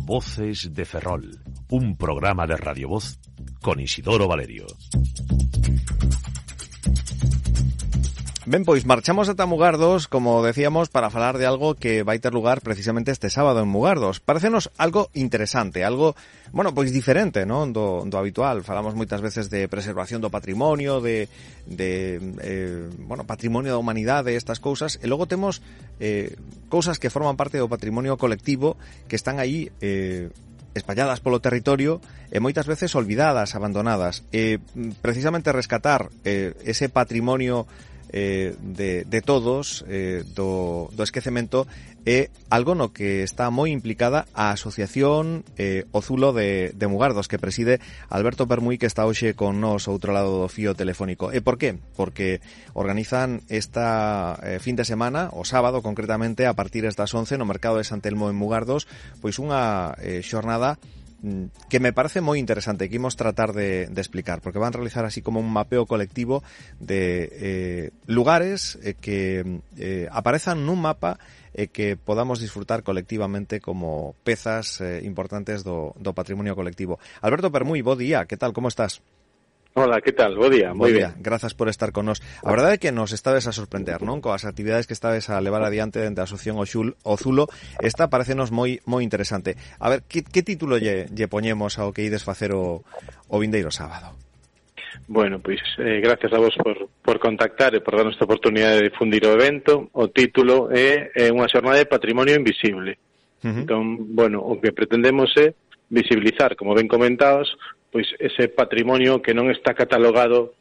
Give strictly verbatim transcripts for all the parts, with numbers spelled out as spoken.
Voces de Ferrol, un programa de Radio Voz con Isidoro Valerio. Ben, pois marchamos ata Mugardos, como decíamos, para falar de algo que vai ter lugar precisamente este sábado en Mugardos. Parécenos algo interesante, algo, bueno, pois diferente, non, do, do habitual. Falamos moitas veces de preservación do patrimonio, de, de eh, bueno, patrimonio da humanidade, estas cousas, e logo temos eh, cousas que forman parte do patrimonio colectivo que están aí eh, espalladas polo territorio e moitas veces olvidadas, abandonadas. E precisamente rescatar eh, ese patrimonio Eh, de, de todos, eh, do, do esquecemento, é algo no que está moi implicada a Asociación eh, O Zulo de, de Mugardos, que preside Alberto Permuy, que está hoxe con nós outro lado do fío telefónico. E por qué? Porque organizan esta eh, fin de semana, o sábado concretamente, a partir das once, no mercado de San Telmo en Mugardos, pois unha eh, xornada que me parece moi interesante, que imos tratar de, de explicar, porque van a realizar así como un mapeo colectivo de eh, lugares eh, que eh, aparezan nun mapa e eh, que podamos disfrutar colectivamente como pezas eh, importantes do, do patrimonio colectivo. Alberto Permuy, bo día, que tal, como estás? Hola, que tal? Bo día, moi ben. Grazas por estar con nos. A verdade é que nos estades a sorprender, non? Coas actividades que estades a levar adiante dentro da Asociación O Zulo, esta parecenos moi moi interesante. A ver, que, que título lle, lle poñemos ao que ides facer o, o vindeiro sábado? Bueno, pois eh, gracias a vos por, por contactar e por darnos esta oportunidade de difundir o evento. O título é, é unha xornada de patrimonio invisible. Uh-huh. Entón, bueno, o que pretendemos é visibilizar, como ben comentados, pois ese patrimonio que non está catalogado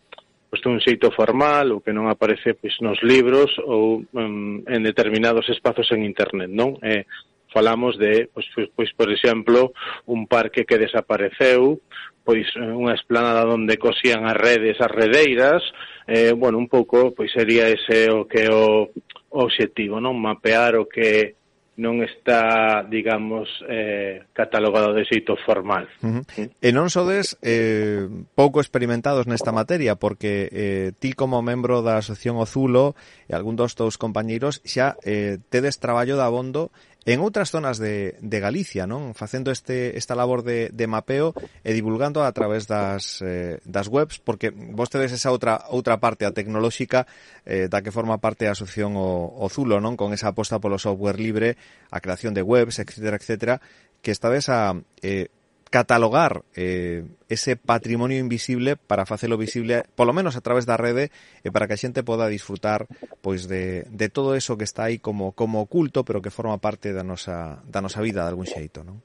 pois dun xeito formal ou que non aparece pois nos libros ou um, en determinados espazos en internet, non? Eh, falamos de, pois, pois, pois por exemplo, un parque que desapareceu, pois unha esplanada onde cosían as redes, as redeiras, eh, bueno, un pouco pois sería ese o que o, o obxectivo, non? Mapear o que non está, digamos, eh, catalogado de xeito formal. Uh-huh. E non sodes eh, pouco experimentados nesta materia, porque eh, ti como membro da Asociación O Zulo e algún dos teus compañeiros xa eh, tedes traballo de abondo en outras zonas de, de Galicia, non? Facendo este esta labor de, de mapeo e divulgando a través das, eh, das webs, porque vos tedes esa outra outra parte, a tecnolóxica, eh, da que forma parte a Asociación O, o Zulo, non? Con esa aposta polo software libre, a creación de webs, etcétera, etcétera, que estades a eh, catalogar eh, ese patrimonio invisible para facelo visible, polo menos a través da rede, e para que a xente poda disfrutar pois de, de todo eso que está aí como como oculto, pero que forma parte da nosa da nosa vida de algún xeito, non?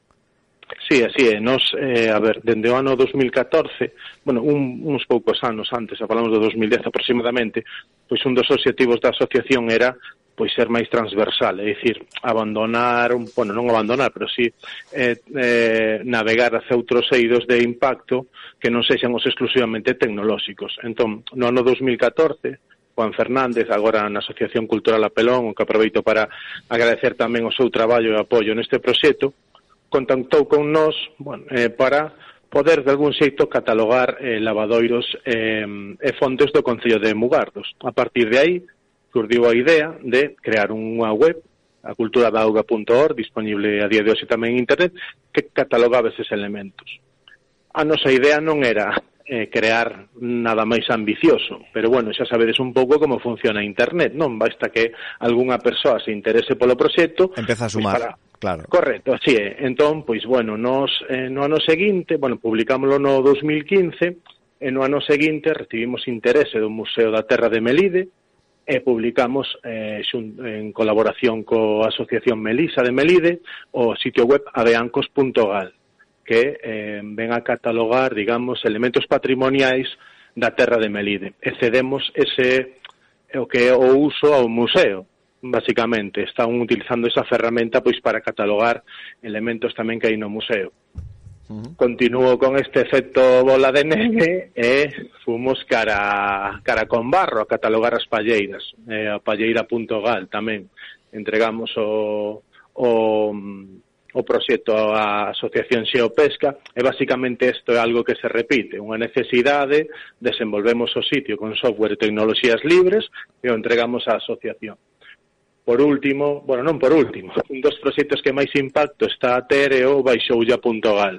Sí, así é. Nos, eh, a ver, dende o ano dos mil catorce, bueno, un, uns poucos anos antes, a falamos do dos mil dez aproximadamente, pois un dos obxectivos da asociación era pois ser máis transversal, é dicir, abandonar, un, bueno, non abandonar, pero sí eh, eh, navegar hacia outros eidos de impacto que non sexan os exclusivamente tecnolóxicos. Entón, no ano dos mil catorce, Juan Fernández, agora na Asociación Cultural Apelón, o que aproveito para agradecer tamén o seu traballo e apoio neste proxecto, contactou con nós, bueno, eh, para poder de algún xeito catalogar eh, lavadoiros eh, e fontes do Concello de Mugardos. A partir de aí, surdiu a idea de crear unha web, a cultura da auga punto org, disponible a día de hoxe tamén en internet, que catalogaba eses elementos. A nosa idea non era eh, crear nada máis ambicioso, pero bueno, xa sabedes un pouco como funciona internet, non? Basta que algunha persoa se interese polo proxecto, empeza a sumar, pues para... claro. Correcto, así é. Entón, pois bueno, nos eh, no ano seguinte, bueno, publicámoslo no dos mil quince, e no ano seguinte recibimos interese do Museo da Terra de Melide, e publicamos eh, xun, en colaboración coa Asociación Melisa de Melide o sitio web aveancos punto gal, que eh, ven a catalogar, digamos, elementos patrimoniais da terra de Melide. E cedemos ese o que é o uso ao museo, basicamente. Están utilizando esa ferramenta pois para catalogar elementos tamén que hai no museo. Uh-huh. Continuo con este efecto bola de neve e fomos cara cara con barro a catalogar as palleiras, eh, a palleira punto gal tamén entregamos o o, o proxecto á Asociación Xeopesca e basicamente isto é algo que se repite, unha necesidade, desenvolvemos o sitio con software e tecnoloxías libres e o entregamos á asociación. por último, bueno, non por último, un dos proxectos que máis impacto está a ter é o baixoulla punto gal,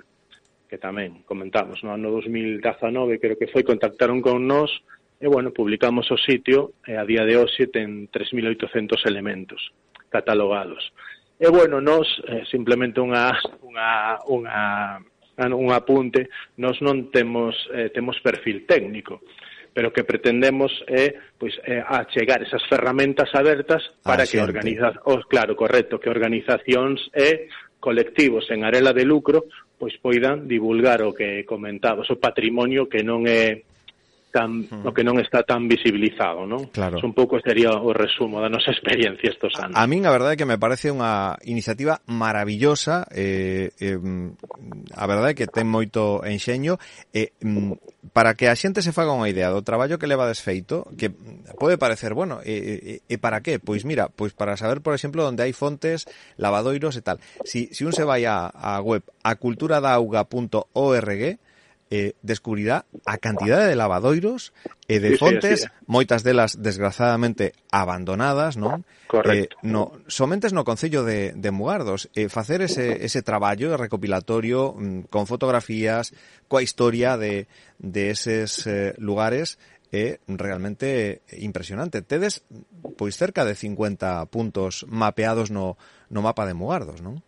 que tamén comentamos no ano dos mil dezanove, creo que foi, contactaron con nós e, bueno, publicamos o sitio e a día de hoxe ten tres mil oitocentos elementos catalogados. E, bueno, nós, eh, simplemente unha, unha, unha, un apunte, nós non temos, eh, temos perfil técnico, pero que pretendemos é, pois, é achegar esas ferramentas abertas para que organiza, oh, claro, correcto, que organizacións e colectivos en arela de lucro pois poidan divulgar o que comentabas, o patrimonio que non é tan, uh-huh. o que non está tan visibilizado, non? Claro. Un pouco sería o resumo da nosa experiencia estos anos. A min a verdade é que me parece unha iniciativa maravillosa, eh, eh, a verdade é que ten moito enxeño, eh, para que a xente se faga unha idea do traballo que leva desfeito, que pode parecer, bueno, e, e, e para qué? Pois mira, pois para saber, por exemplo, onde hai fontes, lavadoiros e tal. Si, si un se vai a, a web a cultura da auga punto org, Eh, descubrirá a cantidade de lavadoiros e de sí, fontes, sí, sí. moitas delas desgraciadamente abandonadas, non? Correcto. Eh, no, somentes no concello de, de Mugardos, eh, facer ese, ese traballo recopilatorio mm, con fotografías, coa historia de, de eses eh, lugares é realmente impresionante. Tedes pois cerca de cincuenta puntos mapeados no, no mapa de Mugardos, non?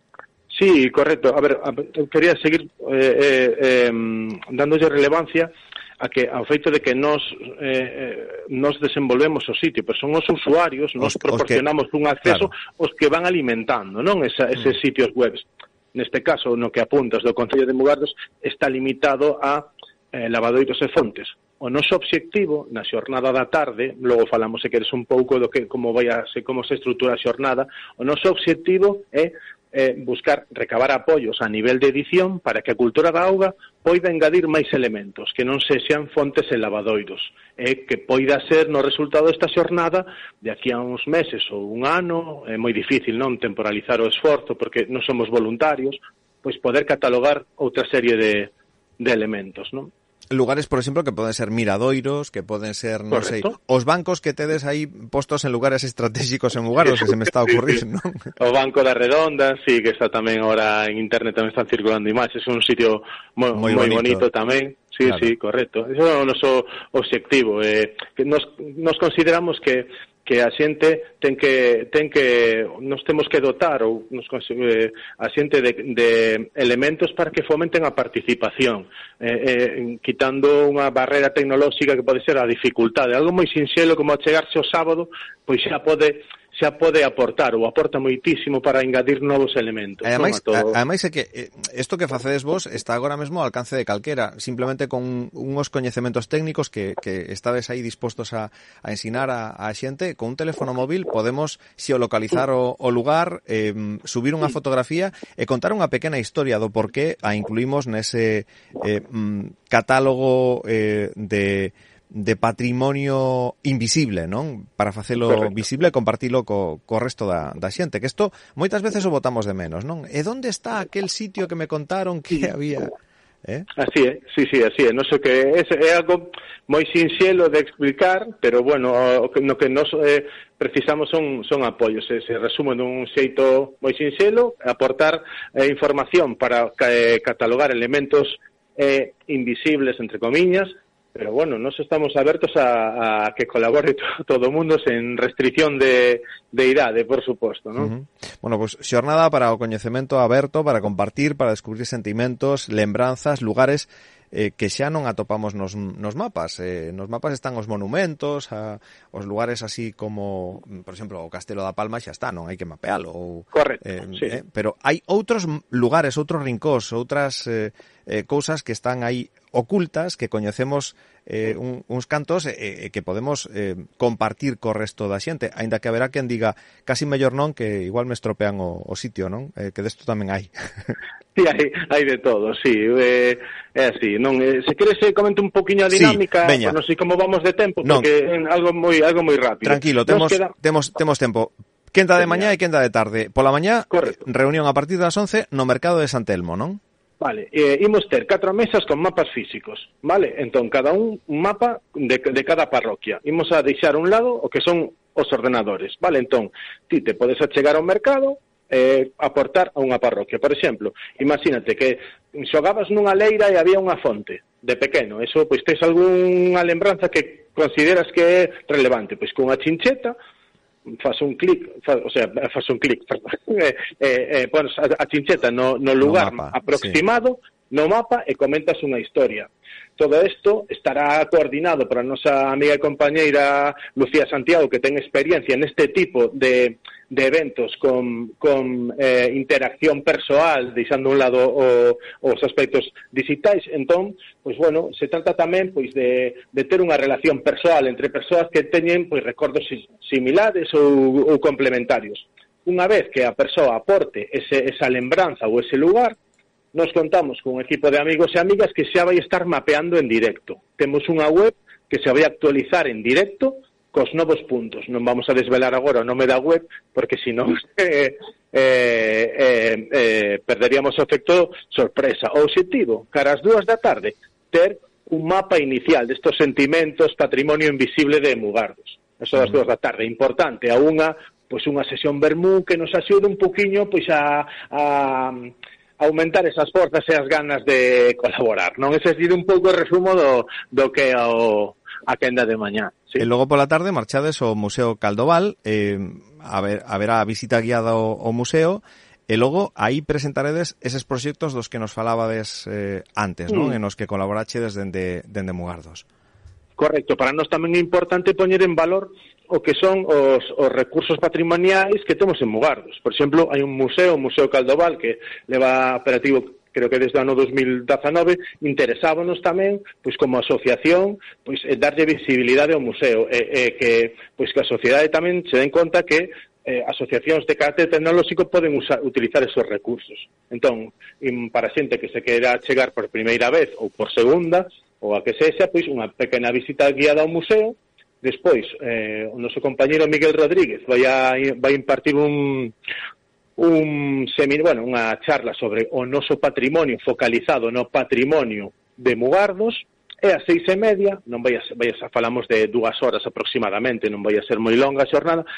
Sí, correcto. A ver, a, quería seguir eh, eh, eh, dándolle relevancia a que ao feito de que nos eh, nos desenvolvemos o sitio, pero son os usuarios, nos os, proporcionamos os que, un acceso, claro. os que van alimentando, non, Esa, eses mm. sitios webs. Neste caso, no que apuntas do Concello de Mugardos, está limitado a eh, lavadoiros e fontes. O noso obxectivo na xornada da tarde, logo falamos se queres un pouco do que como vai a se como se estrutura a xornada, o noso obxectivo é eh, buscar recabar apoios a nivel de edición para que a cultura da auga poida engadir máis elementos, que non sexan fontes e lavadoiros, e que poida ser no resultado desta xornada de aquí a uns meses ou un ano, é moi difícil non temporalizar o esforzo porque non somos voluntarios, pois poder catalogar outra serie de, de elementos, non? Lugares, por exemplo, que poden ser miradoiros, que poden ser, non sei, os bancos que tedes aí postos en lugares estratégicos en Mugardos, que se me está a ocurrir, non? O Banco da Redonda, sí, que está tamén ahora en internet, tamén están circulando imaxes, é un sitio moi, moi, moi bonito. bonito tamén. Sí, claro. Sí, correcto. Eso é o noso obxectivo. Eh, que nos, nos consideramos que que a xente ten que ten que nos temos que dotar ou nos eh, a xente de, de elementos para que fomenten a participación, eh, eh, quitando unha barrera tecnolóxica que pode ser a dificultade, algo moi sinxelo como achegarse o sábado, pois xa pode xa pode aportar ou aporta moitísimo para engadir novos elementos. Ademais, non, todo... ademais é que isto que facedes vos está agora mesmo ao alcance de calquera, simplemente con unhos coñecementos técnicos que, que estades aí dispostos a, a ensinar a, a xente, con un teléfono móvil podemos xeolocalizar o, o lugar, eh, subir unha fotografía e contar unha pequena historia do porqué a incluímos nese eh, catálogo eh, de de patrimonio invisible, non? Para facelo Correcto. visible e compartilo co, co resto da, da xente, que isto moitas veces o botamos de menos, non? E onde está aquel sitio que me contaron que sí. había... Eh? Así é, sí, sí, así é. Non sei que é, é algo moi sinxelo de explicar, pero bueno, o, no que nos eh, precisamos son son apoios, se, se resume dun xeito moi sinxelo, aportar eh, información para eh, catalogar elementos eh, invisibles, entre comiñas. Pero bueno, nos estamos abertos a, a que colabore to, todo o mundo sen restricción de, de idade, por suposto, non? Uh-huh. Bueno, pois pues, xornada para o coñecemento aberto, para compartir, para descubrir sentimentos, lembranzas, lugares eh, que xa non atopamos nos, nos mapas. Eh, nos mapas están os monumentos, a, os lugares así como, por exemplo, o Castelo da Palma xa está, non hai que mapealo. Ou, Correcto, eh, sí. Eh, pero hai outros lugares, outros rincós, outras eh, eh, cousas que están aí ocultas, que coñecemos eh, un, uns cantos e eh, eh, que podemos eh, compartir co resto da xente, aínda que haberá quen diga casi mellor non, que igual me estropean o, o sitio, non? Eh, que desto tamén hai. Sí, hai, hai de todo, sí, eh, é así, non, eh, se queres eh, comente un poquinho a dinámica, sí, non sei como vamos de tempo, non. Porque é algo moi algo moi rápido. Tranquilo, temos queda... temos temos tempo. Quenda de mañá e quenda de tarde. Pola mañá, Correcto. reunión a partir das once no mercado de San Telmo, non? Vale, eh, imos ter catro mesas con mapas físicos, vale? Entón, cada un, un mapa de, de cada parroquia. Imos a deixar un lado o que son os ordenadores, vale? Entón, ti te podes achegar ao mercado, eh, aportar a unha parroquia. Por exemplo, imagínate que xogabas nunha leira e había unha fonte de pequeno, eso, pois tes algunha lembranza que consideras que é relevante, pois cunha chincheta faz un clic, faz, o sea, faz un clic, eh, eh, pones a, a chincheta no, no lugar no mapa, aproximado, sí. no mapa, e comentas unha historia. Todo isto estará coordinado por a nosa amiga e compañeira Lucía Santiago, que ten experiencia neste tipo de, de eventos con, con eh, interacción persoal, deixando un lado o, os aspectos digitais. Entón, pois bueno, se trata tamén pois de, de ter unha relación persoal entre persoas que teñen pois recordos similares ou, ou complementarios. Unha vez que a persoa aporte ese, esa lembranza ou ese lugar, nos contamos con un equipo de amigos e amigas que xa vai estar mapeando en directo. Temos unha web que se vai actualizar en directo cos novos puntos. Non vamos a desvelar agora o nome da web, porque senón eh, eh, eh, eh, perderíamos o efecto sorpresa. O obxectivo, cara ás dúas da tarde, ter un mapa inicial destos sentimentos, patrimonio invisible de Mugardos. Eso das dúas da tarde. Importante, a unha, pois unha sesión vermú que nos axude un poquinho pois a... a aumentar esas forzas e as ganas de colaborar, non? Ese é un pouco o resumo do, do que é o, a quenda de mañá. Sí. E logo pola tarde marchades ao Museo Caldoval, eh, a ver, a ver a visita guiada ao, ao museo, e logo aí presentaredes eses proxectos dos que nos falabades eh, antes, non? Mm. En os que colaborachedes dende, dende Mugardos. Correcto, para nós tamén é importante poñer en valor o que son os, os recursos patrimoniais que temos en Mugardos. Por exemplo, hai un museo, o Museo Caldoval, que leva operativo, creo que desde o ano dos mil dezanove, interesábanos tamén, pois como asociación, pois darlle visibilidade ao museo, e, e que pois que a sociedade tamén se den conta que eh, asociacións de carácter tecnolóxico poden usar, utilizar esos recursos. Entón, para xente que se queira chegar por primeira vez ou por segunda, ou a que sexa, pois unha pequena visita guiada ao museo. Despois, eh, o noso compañeiro Miguel Rodríguez vai a vai impartir un un seminario, bueno, unha charla sobre o noso patrimonio focalizado no patrimonio de Mugardos, e ás seis e media, non vai a, vai a falamos de dúas horas aproximadamente, non vai a ser moi longa a xornada,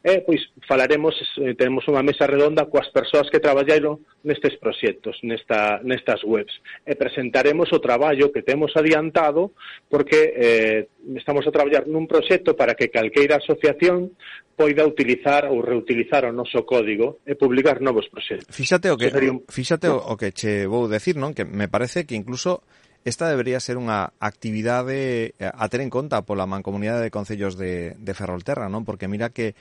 e pois falaremos, eh, tenemos unha mesa redonda coas persoas que traballaron nestes proxectos, nesta, nestas webs, e presentaremos o traballo que temos adiantado, porque eh, estamos a traballar nun proxecto para que calqueira asociación poida utilizar ou reutilizar o noso código e publicar novos proxectos. Fíxate o que, un... fíxate o, o que che vou decir, non? Que me parece que incluso esta debería ser unha actividade a ter en conta pola Mancomunidade de Concellos de, de Ferrolterra, non? Porque mira que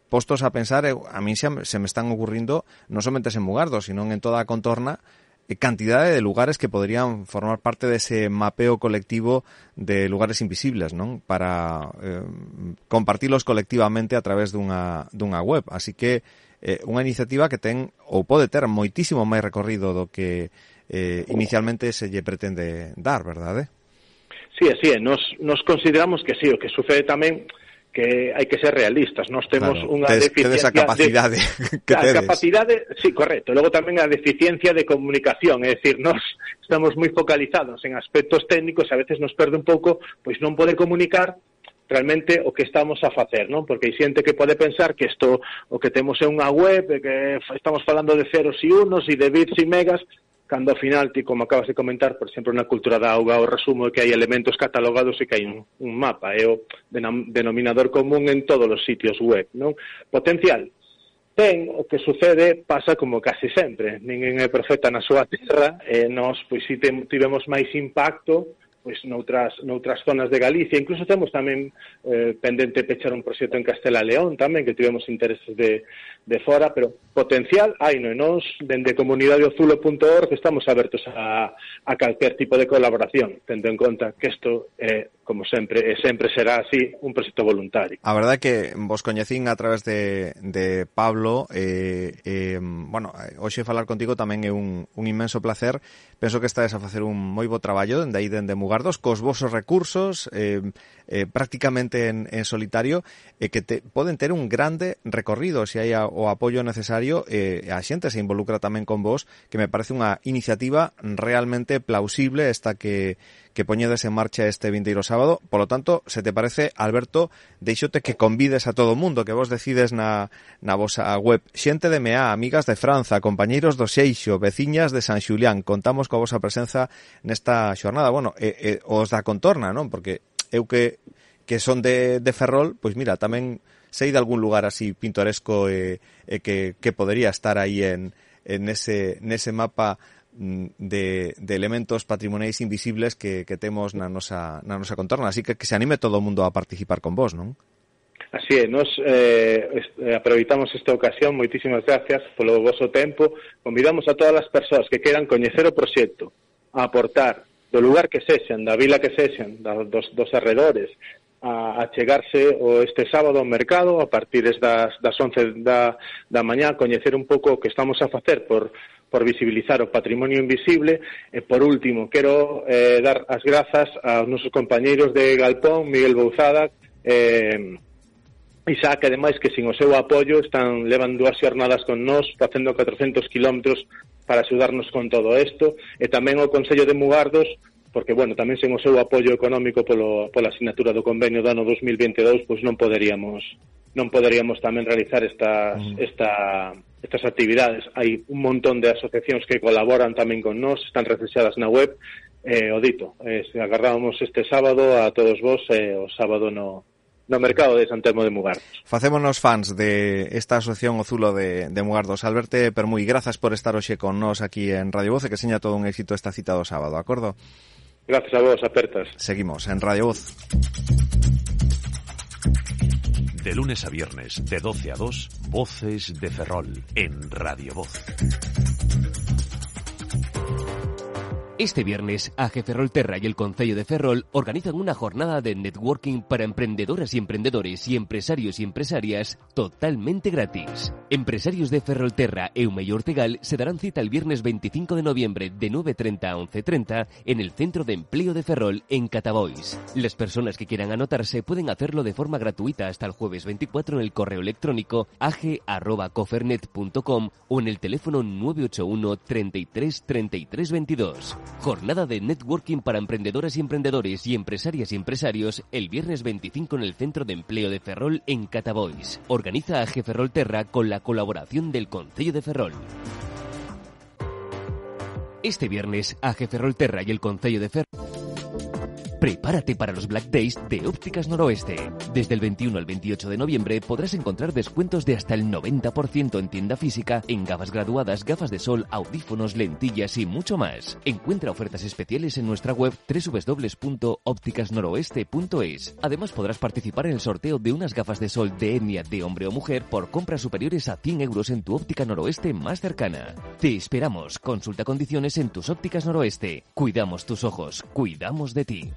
postos a pensar, a mí se, se me están ocurrindo non somente en Mugardos, sino en toda a contorna, cantidade de lugares que podrían formar parte dese mapeo colectivo de lugares invisibles, non? Para eh, compartilos colectivamente a través dunha, dunha web. Así que eh, unha iniciativa que ten, ou pode ter, moitísimo máis recorrido do que eh, inicialmente se lle pretende dar, verdade? Sí, así é. Nos, nos consideramos que sí, o que sucede tamén que hai que ser realistas. Nós temos claro, unha tes, deficiencia... Tedes a capacidade de, que a tedes. capacidade, sí, correcto. Logo tamén a deficiencia de comunicación, é dicir, nós estamos moi focalizados en aspectos técnicos e a veces nos perde un pouco pois non poder comunicar realmente o que estamos a facer, non? Porque hai xente que pode pensar que isto o que temos é unha web, que estamos falando de ceros e unos e de bits e megas, cando ao final, ti, como acabas de comentar, por exemplo, na cultura da auga, o resumo é que hai elementos catalogados e que hai un, un mapa, é o denominador común en todos os sitios web, non? Potencial. Ten, o que sucede pasa como casi sempre, ninguén é profeta na súa terra, e nós, pois, si tivemos máis impacto, pois noutras, noutras zonas de Galicia, incluso temos tamén eh, pendente pechar un proxecto en Castela León tamén, que tivemos intereses de, de fora, pero potencial hai, non? E nós, dende comunidade ozulo punto org, estamos abertos a, a calquer tipo de colaboración, tendo en conta que isto é, como sempre, e sempre será así, un proxecto voluntario. A verdade é que vos coñecín a través de, de Pablo, eh, eh, bueno, hoxe falar contigo tamén é un, un inmenso placer. Penso que estades a facer un moi bo traballo dende aí dende Mugardos, cos vosos recursos, eh, eh, prácticamente en, en solitario, e eh, que te, poden ter un grande recorrido se hai a, o apoio necesario, e eh, a xente se involucra tamén con vos, que me parece unha iniciativa realmente plausible esta que, que poñedes en marcha este vindeiro sábado sábado. Por lo tanto, se te parece, Alberto, deixote que convides a todo o mundo, que vos decides na, na vosa web. Xente de Meá, amigas de Franza, compañeiros do Seixo, veciñas de San Xulián, contamos coa vosa presenza nesta xornada. Bueno, e, e, os da contorna, non? Porque eu que, que son de, de Ferrol, pois mira, tamén sei de algún lugar así pintoresco e, e que, que podería estar aí en, en ese, nese mapa de, de elementos patrimoniais invisibles que, que temos na nosa, na nosa contorna. Así que que se anime todo o mundo a participar con vos, non? Así é, nos eh, aproveitamos esta ocasión, moitísimas gracias polo voso tempo, convidamos a todas as persoas que queiran coñecer o proxecto, a aportar do lugar que sexan, da vila que sexan, da, dos, dos arredores, a, a chegarse o este sábado ao mercado a partir das, das once da, da mañá, coñecer un pouco o que estamos a facer por por visibilizar o patrimonio invisible. E, por último, quero eh, dar as grazas aos nosos compañeiros de Galpón, Miguel Bouzada, eh, Isaac, ademais, que sin o seu apoio están levan dúas xornadas con nós, facendo catrocentos kilómetros para axudarnos con todo isto, e tamén o Concello de Mugardos, porque, bueno, tamén sen o seu apoio económico polo, pola asignatura do convenio do ano dos mil veintidós, pois non poderíamos non poderíamos tamén realizar estas, mm. esta, estas actividades. Hai un montón de asociacións que colaboran tamén con nós, están reflexadas na web. Eh, o dito, eh, agarrábamos este sábado a todos vos, eh, o sábado no, no mercado de San Telmo de Mugardos. Facémonos fans de esta asociación O Zulo de, de Mugardos. Alberto Permuy, grazas por estar hoxe con nós aquí en Radio Voz, e que seña todo un éxito esta cita do sábado, acordo? Gracias a vos, apertas. Seguimos en Radio Voz. De lunes a viernes, de doce a dos, Voces de Ferrol, en Radio Voz. Este viernes, A G Ferrolterra y el Concello de Ferrol organizan una jornada de networking para emprendedoras y emprendedores y empresarios y empresarias totalmente gratis. Empresarios de Ferrolterra e Eume y Ortegal se darán cita el viernes veinticinco de noviembre de nueve treinta a once treinta en el Centro de Empleo de Ferrol en Catabois. Las personas que quieran anotarse pueden hacerlo de forma gratuita hasta el jueves veinticuatro en el correo electrónico ag arroba cofernet punto com o en el teléfono nueve ocho uno, treinta y tres, treinta y tres veintidós. Jornada de networking para emprendedoras y emprendedores y empresarias y empresarios el viernes veinticinco en el Centro de Empleo de Ferrol en Catabois. Organiza A G Ferrolterra con la colaboración del Concello de Ferrol. Este viernes, A G Ferrolterra y el Concello de Ferrol. Prepárate para los Black Days de Ópticas Noroeste. Desde el veintiuno al veintiocho de noviembre podrás encontrar descuentos de hasta el noventa por ciento en tienda física en gafas graduadas, gafas de sol, audífonos, lentillas y mucho más. Encuentra ofertas especiales en nuestra web doble u doble u doble u punto ópticas noroeste punto es. Además podrás participar en el sorteo de unas gafas de sol de etnia de hombre o mujer por compras superiores a cien euros en tu óptica noroeste más cercana. Te esperamos. Consulta condiciones en tus ópticas noroeste. Cuidamos tus ojos. Cuidamos de ti.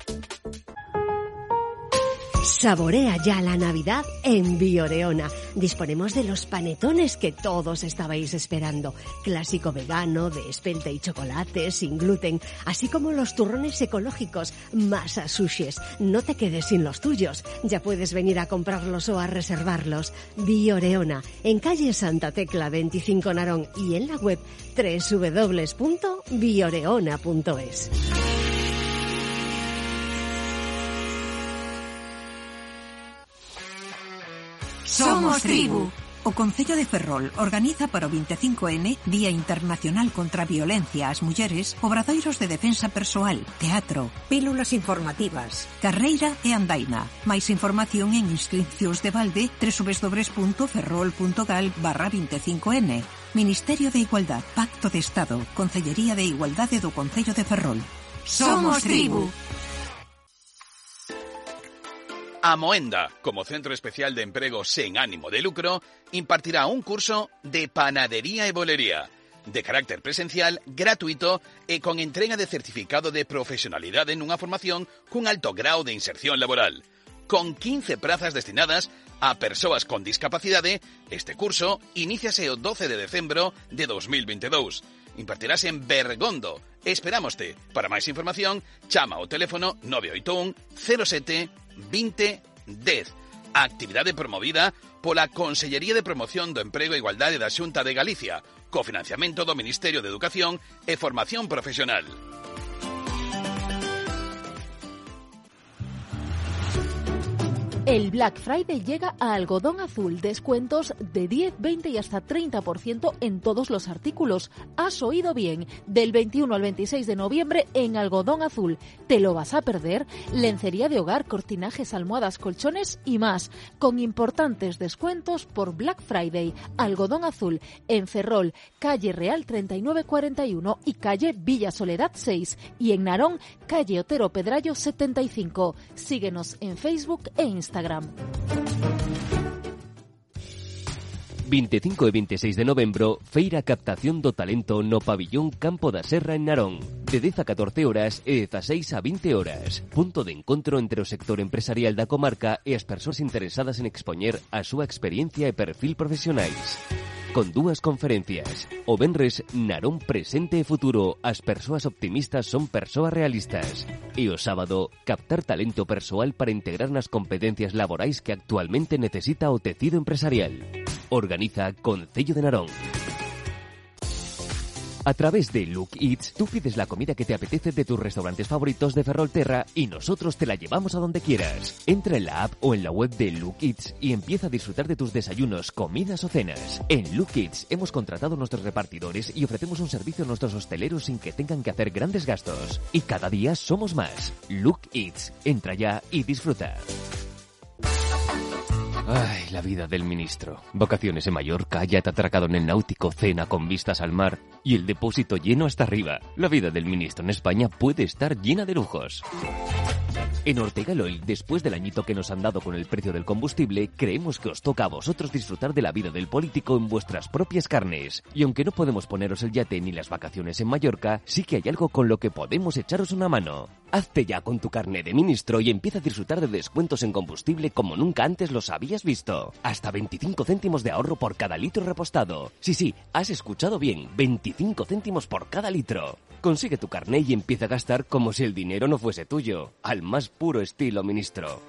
Saborea ya la Navidad en Bioreona. Disponemos de los panetones que todos estabais esperando. Clásico vegano, de espelta y chocolate, sin gluten, así como los turrones ecológicos, masas sushes. No te quedes sin los tuyos. Ya puedes venir a comprarlos o a reservarlos. Bioreona, en calle Santa Tecla veinticinco Narón y en la web doble u doble u doble u punto bioreona punto es. Somos tribu. O Concello de Ferrol organiza para o veinticinco ene, Día Internacional contra a Violencia ás Mulleres, obradoiros de defensa persoal, teatro, pílulas informativas, carreira e andaina. Mais información en inscripcións de balde doble u doble u doble u punto ferrol punto gal barra veinticinco ene. Ministerio de Igualdad, Pacto de Estado, Concellería de Igualdade do Concello de Ferrol. Somos tribu. Amoenda, como centro especial de emprego sen ánimo de lucro, impartirá un curso de panadería e bolería, de carácter presencial, gratuito e con entrega de certificado de profesionalidade nunha formación cun alto grau de inserción laboral. Con quince prazas destinadas a persoas con discapacidade, este curso iníciase o doce de decembro de dos mil veintidós. Impartirase en Bergondo. Esperámoste. Para máis información, chama ao teléfono nove oito un, cero sete, veinte, dez. A actividade promovida pola Consellería de Promoción do Emprego e Igualdade da Xunta de Galicia, co financiamento do Ministerio de Educación e Formación Profesional. El Black Friday llega a Algodón Azul. Descuentos de diez, veinte y hasta treinta por ciento en todos los artículos. Has oído bien. Del veintiuno al veintiséis de noviembre en Algodón Azul. ¿Te lo vas a perder? Lencería de hogar, cortinajes, almohadas, colchones y más. Con importantes descuentos por Black Friday. Algodón Azul. En Ferrol, calle Real treinta y nueve cuarenta y uno y calle Villa Soledad seis. Y en Narón, calle Otero Pedrayo setenta y cinco. Síguenos en Facebook e Instagram. veinticinco e veintiséis de novembro, Feira Captación do Talento no Pabillón Campo da Serra en Narón. De dez a catorce horas e dezaseis a vinte horas. Punto de encontro entre o sector empresarial da comarca e as persoas interesadas en expoñer a súa experiencia e perfil profesionais. Con dúas conferencias. O venres, Narón presente e futuro. As persoas optimistas son persoas realistas. E o sábado, captar talento persoal para integrar nas competencias laborais que actualmente necesita o tecido empresarial. Organiza Concello de Narón. A través de Look Eats, tú pides la comida que te apetece de tus restaurantes favoritos de Ferrolterra y nosotros te la llevamos a donde quieras. Entra en la app o en la web de Look Eats y empieza a disfrutar de tus desayunos, comidas o cenas. En Look Eats hemos contratado a nuestros repartidores y ofrecemos un servicio a nuestros hosteleros sin que tengan que hacer grandes gastos. Y cada día somos más. Look Eats. Entra ya y disfruta. Ay, la vida del ministro. Vacaciones en Mallorca, yate atracado en el náutico, cena con vistas al mar y el depósito lleno hasta arriba. La vida del ministro en España puede estar llena de lujos. En Ortega Oil, después del añito que nos han dado con el precio del combustible, creemos que os toca a vosotros disfrutar de la vida del político en vuestras propias carnes. Y aunque no podemos poneros el yate ni las vacaciones en Mallorca, sí que hay algo con lo que podemos echaros una mano. Hazte ya con tu carné de ministro y empieza a disfrutar de descuentos en combustible como nunca antes los habías visto. Hasta veinticinco céntimos de ahorro por cada litro repostado. Sí, sí, has escuchado bien, veinticinco céntimos por cada litro. Consigue tu carné y empieza a gastar como si el dinero no fuese tuyo. Al más puro estilo ministro.